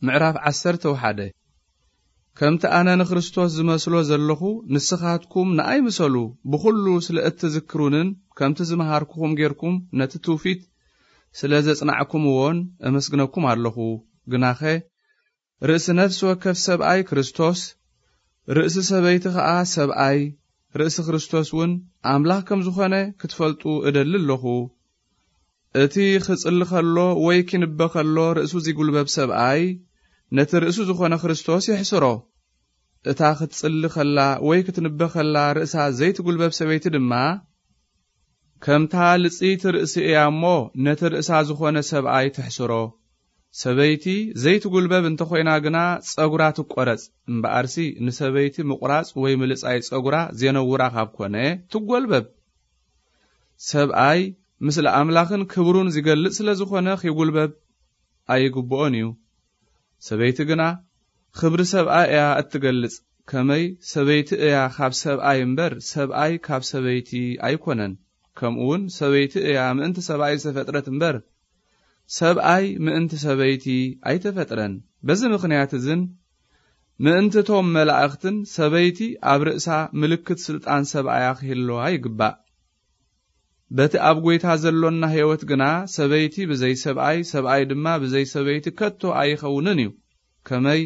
ምዕራፍ ዓሰርተ ሓደ። ከምቲ ኣነ ንክርስቶስ ዝመስሎ ዘለኹ፣ ንስኻትኩም ንኣይ ምሰሉ፣ ብኹሉ ስለ እትዝክሩንን ከምቲ ዝመሃርኩኹም ጌርኩም ነቲ ትውፊት ስለ ዘጽናዕኩምዎን እመስግነኩም ኣለኹ። ግናኸ ርእሲ ነፍሲ ወከፍ ሰብኣይ ክርስቶስ፣ ርእሲ ሰበይቲ ኸኣ ሰብኣይ፣ ርእሲ ክርስቶስ እውን ኣምላኽ ከም ዝኾነ ክትፈልጡ እደሊ ኣለኹ። እቲ ኽጽሊ ኸሎ ወይ ኪንበ ኸሎ ርእሱ ዚጉልበብ ሰብኣይ፣ ነቲ ርእሱ ዝኾነ ክርስቶስ የሕስሮ። እታ ኽትጽሊ ኸላ ወይ ክትንበ ኸላ ርእሳ ዘይትጉልበብ ሰበይቲ ድማ፣ ከምታ ልጽይቲ ርእሲ እያ እሞ፣ ነቲ ርእሳ ዝኾነ ሰብኣይ ትሕስሮ። ሰበይቲ ዘይትጉልበብ እንተ ኾይና ግና፣ ጸጉራ ትቆረጽ። እምበኣርሲ፣ ንሰበይቲ ምቑራጽ ወይ ምልጻይ ጸጉራ ዜነውራ ካብ ኮነ፣ ትጎልበብ። ሰብኣይ፣ ምስለ ኣምላኽን ክብሩን ዚገልጽ ስለ ዝኾነ፣ ኺጉልበብ ኣይግብኦን እዩ። ሰበይቲ ግና፣ ኽብሪ ሰብኣይ እያ እትገልጽ። ከመይ ሰበይቲ እያ ካብ ሰብኣይ እምበር፣ ሰብኣይ ካብ ሰበይቲ ኣይኮነን። ከምኡውን ሰበይቲ እያ ምእንቲ ሰብኣይ ዝተፈጥረት እምበር፣ ሰብኣይ ምእንቲ ሰበይቲ ኣይተፈጥረን። በዚ ምኽንያት እዝን፣ ምእንቲ እቶም መላእኽትን ሰበይቲ ኣብ ርእሳ ምልክት ስልጣን ሰብኣያ ክህልዋ ይግባእ። በቲ ኣብ ጐይታ ዘሎና ህይወት ግና፣ ሰበይቲ ብዘይ ሰብኣይ፣ ሰብኣይ ድማ ብዘይ ሰበይቲ ከቶ ኣይኸውንን እዩ። ከመይ፣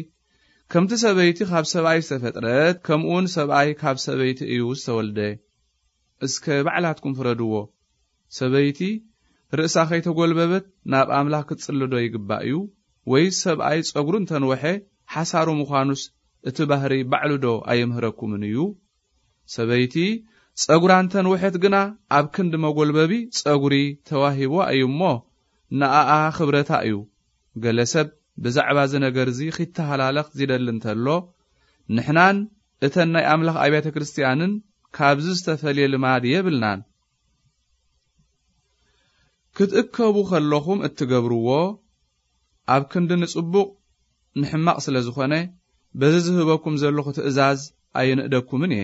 ከምቲ ሰበይቲ ካብ ሰብኣይ ዝተፈጥረት፣ ከምኡውን ሰብኣይ ካብ ሰበይቲ እዩ ዝተወልደ። እስከ ባዕላትኩም ፍረድዎ። ሰበይቲ ርእሳ ኸይተጐልበበት ናብ ኣምላኽ ክትጽሊ ዶ ይግባእ እዩ? ወይስ ሰብኣይ ጸጉሩ እንተንወሐ ሓሳሩ ምዃኑስ እቲ ባህሪ ባዕሉ ዶ ኣየምህረኩምን እዩ? ሰበይቲ ጸጉራ እንተንወሐት ግና ኣብ ክንዲ መጐልበቢ ጸጉሪ ተዋሂቦ እዩ እሞ ንኣኣ ኽብረታ እዩ። ገለ ሰብ ብዛዕባ እዚ ነገር እዚ ኺተሃላለኽ ዚደሊ እንተሎ፣ ንሕናን እተን ናይ ኣምላኽ ኣብያተ ክርስትያንን ካብዚ ዝተፈልየ ልማድ የብልናን። ክትእከቡ ኸለኹም እትገብርዎ፣ ኣብ ክንዲ ንጽቡቕ ንሕማቕ ስለ ዝኾነ፣ በዚ ዝህበኩም ዘለኹ ትእዛዝ ኣይንእደኩምን እየ።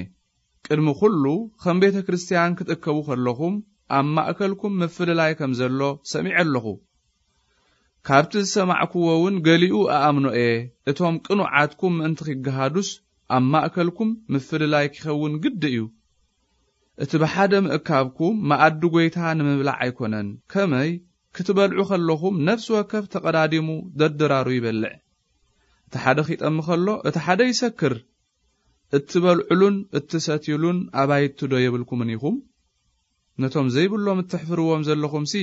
ቅድሚ ኹሉ፣ ከም ቤተ ክርስትያን ክትእከቡ ኸለኹም፣ ኣብ ማእከልኩም ምፍልላይ ከም ዘሎ ሰሚዐ ኣለኹ። ካብቲ ዝሰማዕክዎ እውን ገሊኡ እኣምኖ እየ። እቶም ቅኑዓትኩም ምእንቲ ኺገሃዱስ፣ ኣብ ማእከልኩም ምፍልላይ ኪኸውን ግዲ እዩ። እቲ ብሓደ ምእካብኩም መኣዲ ጐይታ ንምብላዕ ኣይኮነን። ከመይ፣ ክትበልዑ ኸለኹም ነፍሲ ወከፍ ተቐዳዲሙ ደድራሩ ይበልዕ። እቲ ሓደ ኺጠሚ ኸሎ፣ እቲ ሓደ ይሰክር። እትበልዑሉን እትሰትዩሉን ኣባይቲ ዶ የብልኩምን ኢኹም? ነቶም ዘይብሎም እትሕፍርዎም ዘለኹምሲ፣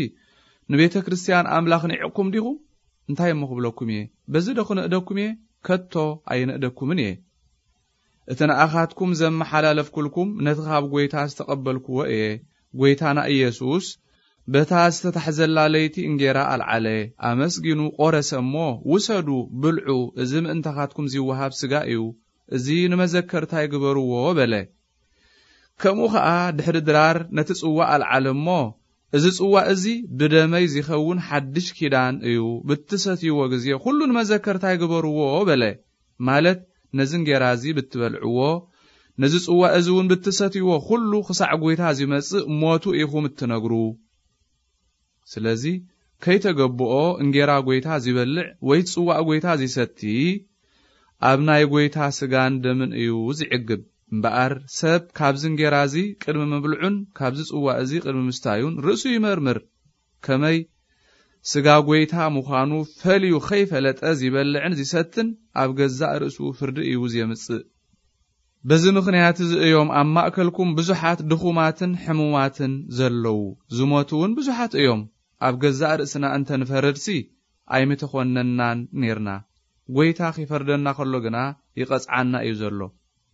ንቤተ ክርስትያን ኣምላኽ ኒዕቕኩም ዲኹም? እንታይ እሞ ክብለኩም እየ? በዚ ዶ ክንእደኩም እየ? ከቶ ኣይንእደኩምን እየ። እቲ ንኣኻትኩም ዘመሓላለፍኩልኩም ነቲ ኻብ ጐይታ ዝተቐበልክዎ እየ። ጐይታና ኢየሱስ በታ ዝተታሕዘላ ለይቲ እንጌራ ኣልዓለ፣ ኣመስጊኑ ቖረሰ እሞ፣ "ውሰዱ፣ ብልዑ፣ እዚ ምእንታኻትኩም ዚወሃብ ስጋ እዩ፣ እዚ ንመዘከርታይ ግበርዎ" በለ። ከምኡ ኸኣ ድሕሪ ድራር ነቲ ጽዋእ ኣልዓለ እሞ፣ "እዚ ጽዋእ እዚ ብደመይ ዚኸውን ሓድሽ ኪዳን እዩ፣ ብትሰትይዎ ግዜ ኹሉ ንመዘከርታይ ግበርዎ" በለ። ማለት ነዚ እንጌራ እዚ ብትበልዕዎ፣ ነዚ ጽዋእ እዚ እውን ብትሰትይዎ ኹሉ ክሳዕ ጐይታ ዚመጽእ ሞቱ ኢኹም እትነግሩ። ስለዚ ከይተገብኦ እንጌራ ጐይታ ዚበልዕ ወይ ጽዋእ ጐይታ ዚሰቲ ኣብ ናይ ጐይታ ስጋን ደምን እዩ ዚዕግብ። እምበኣር ሰብ ካብዚ እንጌራ እዚ ቅድሚ ምብልዑን ካብዚ ጽዋእ እዚ ቅድሚ ምስታዩን ርእሱ ይመርምር። ከመይ ስጋ ጐይታ ምዃኑ ፈልዩ ኸይፈለጠ ዚበልዕን ዚሰትን ኣብ ገዛእ ርእሱ ፍርዲ እዩ ዜምጽእ። በዚ ምኽንያት እዚ እዮም ኣብ ማእከልኩም ብዙሓት ድኹማትን ሕሙማትን ዘለዉ፣ ዝሞቱ እውን ብዙሓት እዮም። ኣብ ገዛእ ርእስና እንተ ንፈርድሲ ኣይምተኾነናን ኔርና። ጐይታ ኺፈርደና ኸሎ ግና ይቐጽዓና እዩ ዘሎ።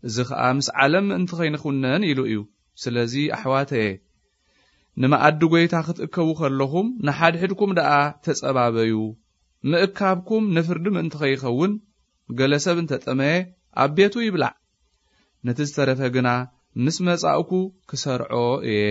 እዚ ኸኣ ምስ ዓለም ምእንቲ ኸይንኹነን ኢሉ እዩ። ስለዚ ኣሕዋተየ፣ ንመኣዲ ጐይታ ክትእከቡ ኸለኹም ንሓድሕድኩም ደኣ ተጸባበዩ። ምእካብኩም ንፍርዲ ምእንቲ ኸይኸውን፣ ገለ ሰብ እንተ ጠመየ ኣብ ቤቱ ይብላዕ። ነቲ ዝተረፈ ግና ምስ መጻእኩ ክሰርዖ እየ።